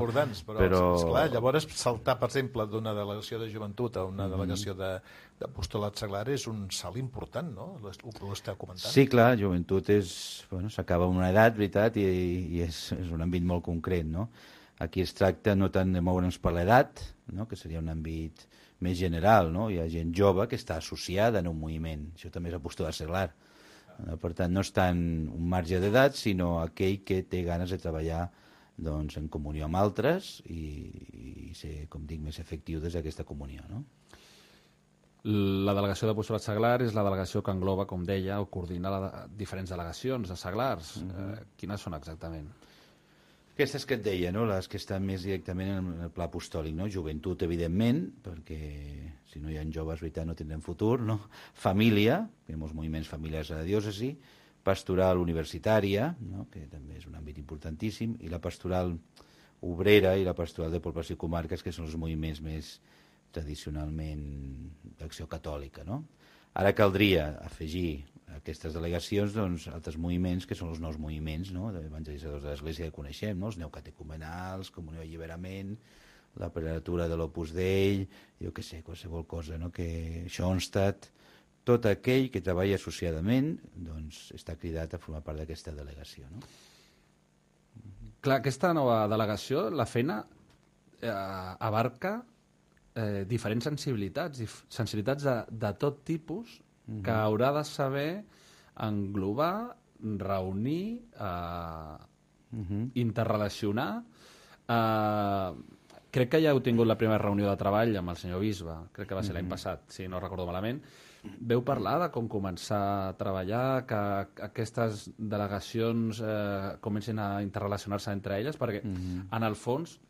esclar, llavors saltar, per exemple, d'una delegació de joventut a una delegació d'apostolat seglar és un salt important, no? Ho està comentant. Sí, clar, joventut s'acaba amb una edat, veritat, i és un àmbit molt concret, no? Aquí es tracta no tant de moure'ns per l'edat, no? Que seria un àmbit més general, no? Hi ha gent jove que està associada en un moviment, això també és apostolat seglar. Per tant, no és tant un marge d'edat, sinó aquell que té ganes de treballar en comunió amb altres i ser, com dic, més efectiu des d'aquesta comunió, no? La delegació d'apostolat seglar és la delegació que engloba, com deia, o coordina diferents delegacions de seglars. Quines són exactament? Aquestes que et deia, no? Les que estan més directament en el pla apostòlic, no? Joventut, evidentment, perquè si no hi ha joves, veritat, no tindrem futur, no? Família, que hi ha molts moviments familiars a la diòcesi, pastoral universitària, no? Que també és un àmbit importantíssim, i la pastoral obrera i la pastoral de població i comarques, que són els moviments més tradicionalment d'acció catòlica, no? Ara caldria afegir aquestes delegacions altres moviments que són els nous moviments, no? D'evangelitzadors de l'Església que coneixem, no? Els neocatecumenals, Comunió d'Alliberament, la prelatura de l'Opus Dei, jo què sé, qualsevol cosa, no? Que Schoenstatt, tot aquell que treballa associadament està cridat a formar part d'aquesta delegació, no? Clar, aquesta nova delegació, la feina abarca diferents sensibilitats de tot tipus que haurà de saber englobar, reunir, interrelacionar. Crec que ja heu tingut la primera reunió de treball amb el senyor Bisbe, crec que va ser l'any passat, si no recordo malament. Veu parlar de com començar a treballar, que aquestes delegacions comencin a interrelacionar-se entre elles, perquè en el fons,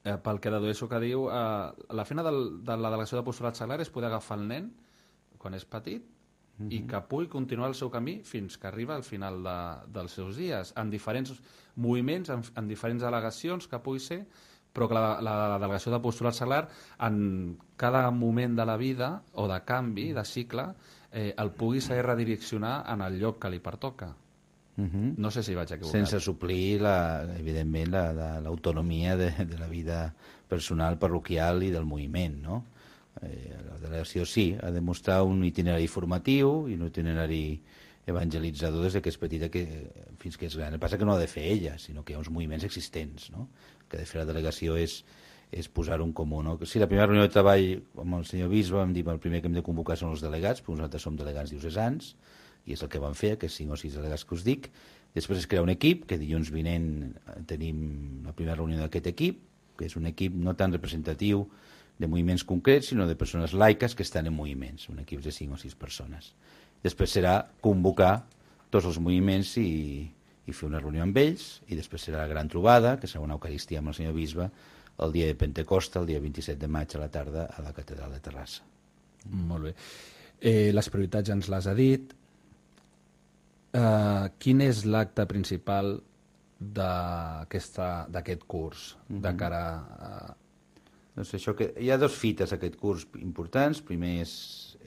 pel que dedueixo que diu, la feina de la delegació d'apostolat seglar és poder agafar el nen quan és petit i que pugui continuar el seu camí fins que arriba al final dels seus dies, en diferents moviments, en diferents delegacions que pugui ser, però que la delegació d'apostolat seglar en cada moment de la vida o de canvi, de cicle, el pugui saber redireccionar en el lloc que li pertoca. No sé si vaig equivocat. Sense suplir, evidentment, l'autonomia de la vida personal, parroquial i del moviment, no? La delegació sí, ha de mostrar un itinerari formatiu i un itinerari evangelitzador des que és petita fins que és gran. El que passa que no ha de fer ella, sinó que hi ha uns moviments existents, no? El que ha de fer la delegació és posar-ho en comú, no? Sí, la primera reunió de treball amb el senyor Bisbe vam dir que el primer que hem de convocar són els delegats, perquè nosaltres som delegats diocesans, i és el que vam fer, aquests 5 o 6 delegats que us dic. Després es crea un equip, que dilluns vinent tenim la primera reunió d'aquest equip, que és un equip no tan representatiu de moviments concrets, sinó de persones laiques que estan en moviments, un equip de 5 o 6 persones. Després serà convocar tots els moviments i fer una reunió amb ells, i després serà la gran trobada, que serà una eucaristia amb el senyor Bisbe, el dia de Pentecosta, el dia 27 de maig a la tarda, a la catedral de Terrassa. Molt bé. Les prioritats ens les ha dit. Quin és l'acte principal d'aquest curs de cara a... Doncs això, que hi ha 2 fites d'aquest curs importants. Primer és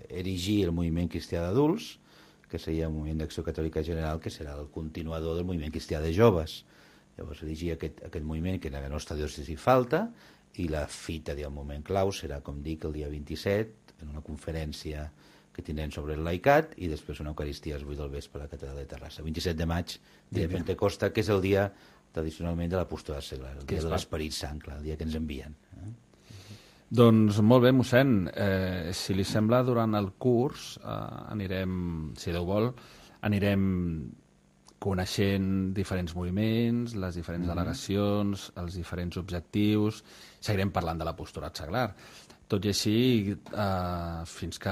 erigir el moviment cristià d'adults, que seria el moviment d'Acció Catòlica General, que serà el continuador del moviment cristià de joves. Llavors, erigir aquest moviment que en la nostra diòcesi falta, i la fita del moment clau serà, com dic, el dia 27, en una conferència que tindrem sobre el laicat, i després una eucaristia a les 8 del vespre a la catedral de Terrassa. 27 de maig, dia de Pentecosta, que és el dia tradicionalment de l'apostolat seglar, el dia de l'Esperit Sant, clar, el dia que ens envien. Doncs molt bé, mossèn. Si li sembla, durant el curs anirem, si Déu vol, anirem coneixent diferents moviments, les diferents delegacions, els diferents objectius, seguirem parlant de l'apostolat seglar. Tot i així, fins que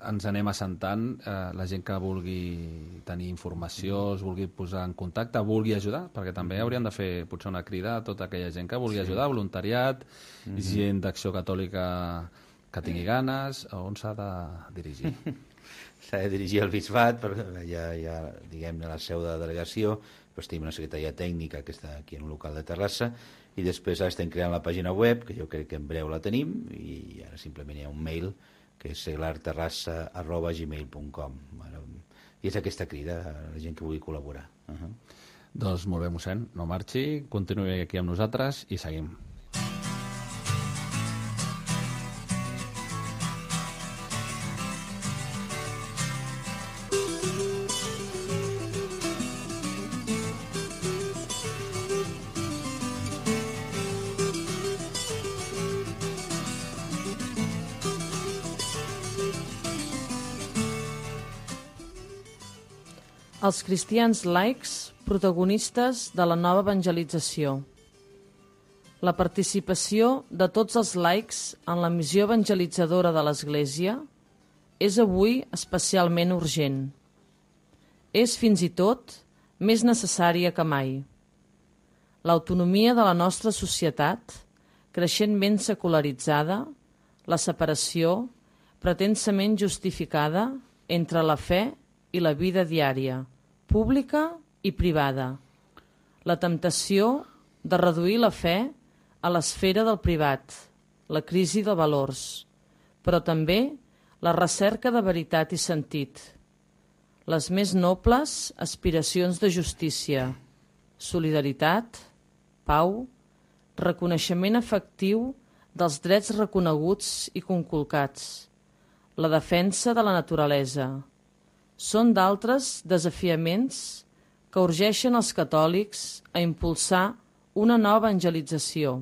ens anem assentant, la gent que vulgui tenir informació, es vulgui posar en contacte, vulgui ajudar, perquè també hauríem de fer potser una crida a tota aquella gent que vulgui ajudar, voluntariat, gent d'Acció Catòlica que tingui ganes, on s'ha de dirigir? S'ha de dirigir al bisbat, ja diguem, a la seu de la delegació, però tenim una secretaria tècnica que està aquí en un local de Terrassa, i després estem creant la pàgina web, que jo crec que en breu la tenim, i ara simplement hi ha un mail, que és seglarterrassa@gmail.com. I és aquesta crida a la gent que vulgui col·laborar. Doncs molt bé, mossèn, no marxi, continuï aquí amb nosaltres i seguim. Els cristians laics, protagonistes de la nova evangelització. La participació de tots els laics en la missió evangelitzadora de l'Església és avui especialment urgent. És fins i tot més necessària que mai. L'autonomia de la nostra societat, creixentment secularitzada, la separació pretensament justificada entre la fe i la vida diària, pública i privada. La temptació de reduir la fe a l'esfera del privat, la crisi de valors, però també la recerca de veritat i sentit, les més nobles aspiracions de justícia, solidaritat, pau, reconeixement efectiu dels drets reconeguts i conculcats, la defensa de la naturalesa. Són d'altres desafiaments que urgeixen els catòlics a impulsar una nova evangelització,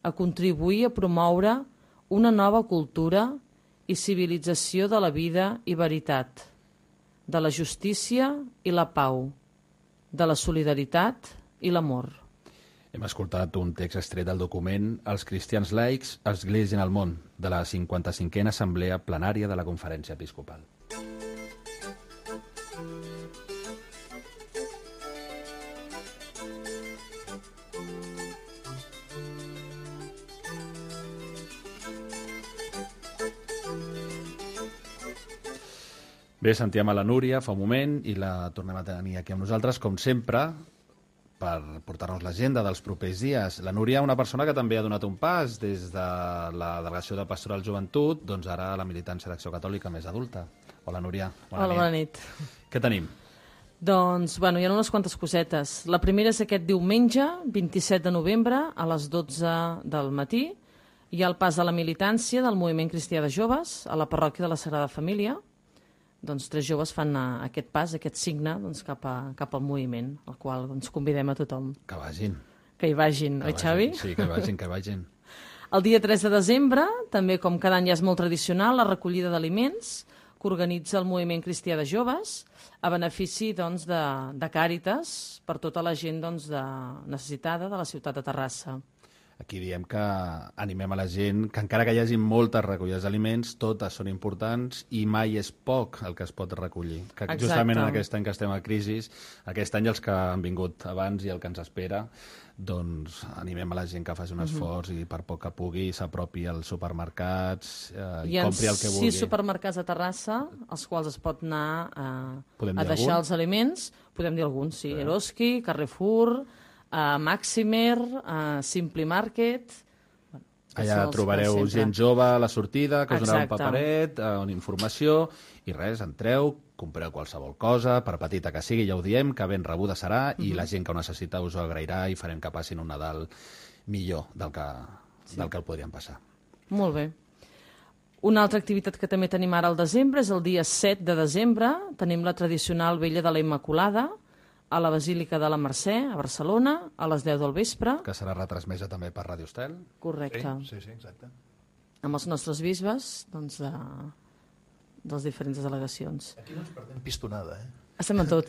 a contribuir a promoure una nova cultura i civilització de la vida i veritat, de la justícia i la pau, de la solidaritat i l'amor. Hem escoltat un text extret del document Els cristians laics, Església en el món, de la 55a Assemblea Plenària de la Conferència Episcopal. Bé, sentíem a la Núria fa un moment i la tornem a tenir aquí amb nosaltres, com sempre, per portar-nos l'agenda dels propers dies. La Núria, una persona que també ha donat un pas des de la Delegació de Pastoral Joventut, doncs ara a la militància d'Acció Catòlica més adulta. Hola, Núria. Bona nit. Què tenim? Doncs, hi ha unes quantes cosetes. La primera és aquest diumenge, 27 de novembre, a les 12 del matí. Hi ha el pas de la militància del Moviment Cristià de Joves a la parròquia de la Sagrada Família. Doncs 3 joves fan aquest pas, aquest signe, doncs, cap al moviment, al qual convidem a tothom. Que vagin. Que hi vagin, oi, Xavi? Sí, que vagin. El dia 3 de desembre, també com cada any ja és molt tradicional, la recollida d'aliments que organitza el Moviment Cristià de Joves a benefici de Càritas per tota la gent necessitada de la ciutat de Terrassa. Aquí diem que animem a la gent que encara que hi hagi moltes recollides d'aliments, totes són importants i mai és poc el que es pot recollir. Que justament en aquest any que estem a crisi, aquest any els que han vingut abans i el que ens espera, doncs animem a la gent que faci un esforç i per poc que pugui s'apropi als supermercats i compri el que vulgui. Hi ha 6 supermercats a Terrassa, als quals es pot anar a deixar els aliments. Podem dir alguns, sí. Eroski, Carrefour, Maximer, Simply Market... Allà trobareu gent jove a la sortida, que us donarà un paperet, una informació, i res, entreu, compreu qualsevol cosa, per petita que sigui, ja ho diem, que ben rebuda serà, i la gent que ho necessita us ho agrairà i farem que passin un Nadal millor del que el podríem passar. Molt bé. Una altra activitat que també tenim ara al desembre és el dia 7 de desembre. Tenim la tradicional Vella de la Immaculada, a la Basílica de la Mercè, a Barcelona, a les 10 del vespre. Que serà retransmesa també per Ràdio Estel. Correcte. Sí, exacte. Amb els nostres bisbes, doncs, de les diferents delegacions. Aquí no ens perdem pistonada, Estem en tot.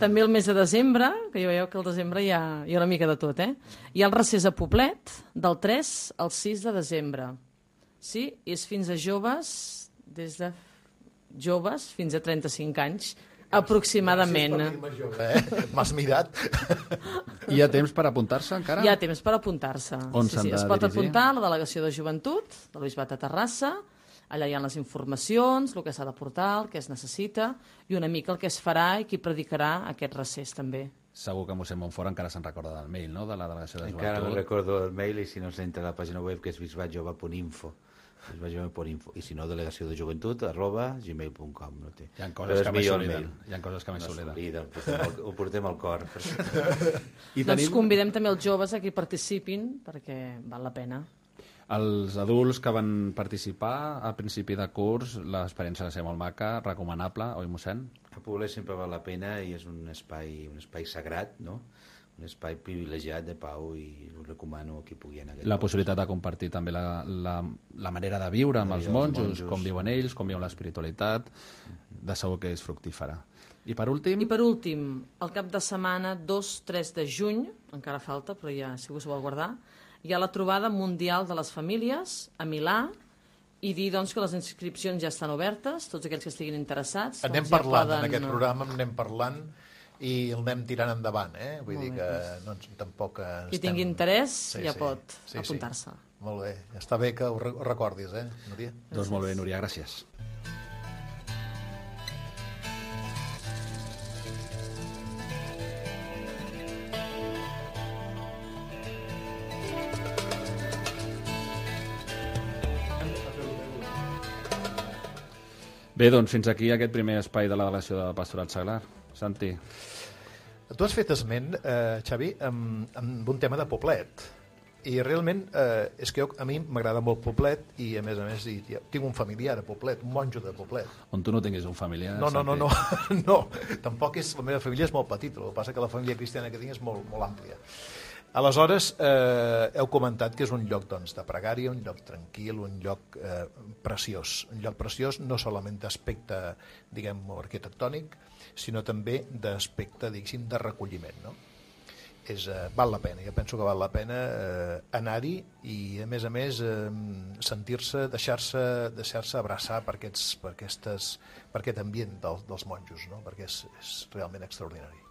També el mes de desembre, que ja veieu que al desembre hi ha una mica de tot, Hi ha el recés a Poblet, del 3 al 6 de desembre. Sí, és fins a joves, des de joves fins a 35 anys, aproximadament. M'has mirat. Hi ha temps per apuntar-se encara? Hi ha temps per apuntar-se. On s'han de es pot dirigir? apuntar a la Delegació de Joventut del Bisbat de Terrassa. Allà hi ha les informacions, el que s'ha de portar, el que es necessita i una mica el que es farà i qui predicarà aquest recés també. Segur que mossèn Montfort encara se'n recorda del mail, no?, de la Delegació de Joventut. Encara no recordo el mail, i si no s'entra a la pàgina web, que és bisbatjove.info. I si no, delegació de joventut @gmail.com. No té. Hi ha coses que més s'obliden. Ho portem al cor. Doncs convidem també els joves a que participin, perquè val la pena. Els adults que van participar a principi de curs, l'experiència va ser molt maca, recomanable, oi, mossèn? A Poblet sempre val la pena i és un espai sagrat, no? Un espai privilegiat de pau, i ho recomano a qui pugui anar. La possibilitat de compartir també la manera de viure amb els monjos, com viuen ells, com viuen l'espiritualitat, de segur que és fructífera. I per últim? I per últim, el cap de setmana 2-3 de juny, encara falta, però ja si us ho vol guardar, hi ha la trobada mundial de les famílies a Milà, i dir doncs, que les inscripcions ja estan obertes, tots aquells que estiguin interessats. Anem parlant, en aquest programa anem parlant i el anem tirant endavant, Vull dir que tampoc estem... Qui tingui interès ja pot apuntar-se. Molt bé, està bé que ho recordis, Núria? Doncs molt bé, Núria, gràcies. Bé, doncs fins aquí aquest primer espai de la delegació de Pastoral Saglar. Santi. Tu has fet esment, Xavi, amb un tema de Poblet. I realment és que a mi m'agrada molt Poblet i a més tinc un familiar a Poblet, un monjo de Poblet. On tu no tinguis un familiar? No, tampoc és... La meva família és molt petita, el que passa que la família cristiana que tinc és molt, molt àmplia. Aleshores, heu comentat que és un lloc de pregària, un lloc tranquil, un lloc preciós. Un lloc preciós no solament d'aspecte, diguem, arquitectònic, sinó també d'aspecte, diguéssim, de recolliment, no? Val la pena, jo penso que val la pena anar-hi i, a més, sentir-se, deixar-se abraçar per aquest ambient dels monjos, no? Perquè és realment extraordinari.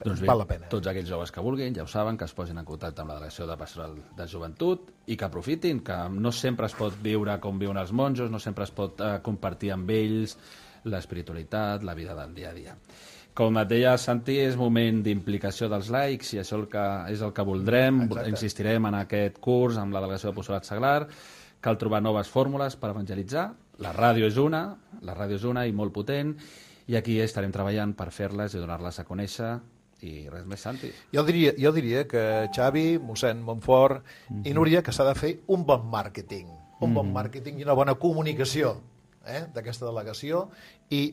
Doncs bé, val la pena. Tots aquells joves que vulguin, ja ho saben, que es posin en contacte amb la Delegació de Pastoral de Joventut i que aprofitin, que no sempre es pot viure com viuen els monjos, no sempre es pot compartir amb ells l'espiritualitat, la vida del dia a dia. Com et deia, Santi, és moment d'implicació dels laics i això és el que voldrem. Insistirem en aquest curs amb la Delegació de Pastoral Saglar. Cal trobar noves fórmules per evangelitzar. La ràdio és una i molt potent, i aquí estarem treballant per fer-les i donar-les a conèixer. I res més, Santi. Jo diria que Xavi, mossèn Montfort i Núria, que s'ha de fer un bon màrqueting. Un bon màrqueting i una bona comunicació d'aquesta delegació i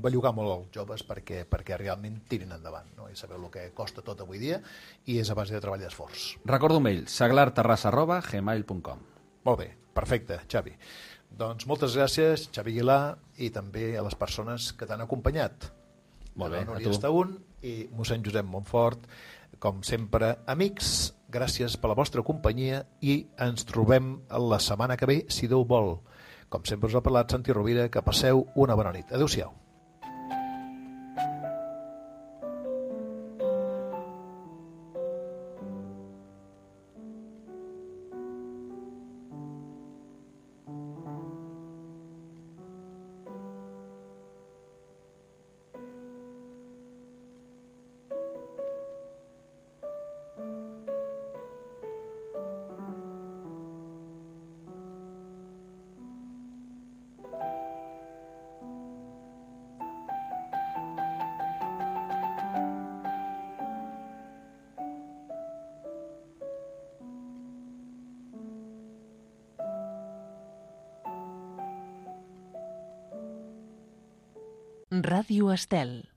bellugar molt els joves perquè realment tirin endavant, no? I sabeu el que costa tot avui dia i és a base de treball d'esforç. Recordo un mail, saglarterrassa@gmail.com. Molt bé, perfecte, Xavi. Doncs moltes gràcies, Xavi Aguilar, i també a les persones que t'han acompanyat. Molt bé, Núria Estaún i mossèn Josep Montfort, com sempre, amics gràcies per la vostra companyia i ens trobem la setmana que ve, si Déu vol. Com sempre us ha parlat Santi Rovira, que passeu una bona nit. Adéu-siau. Ràdio Estel.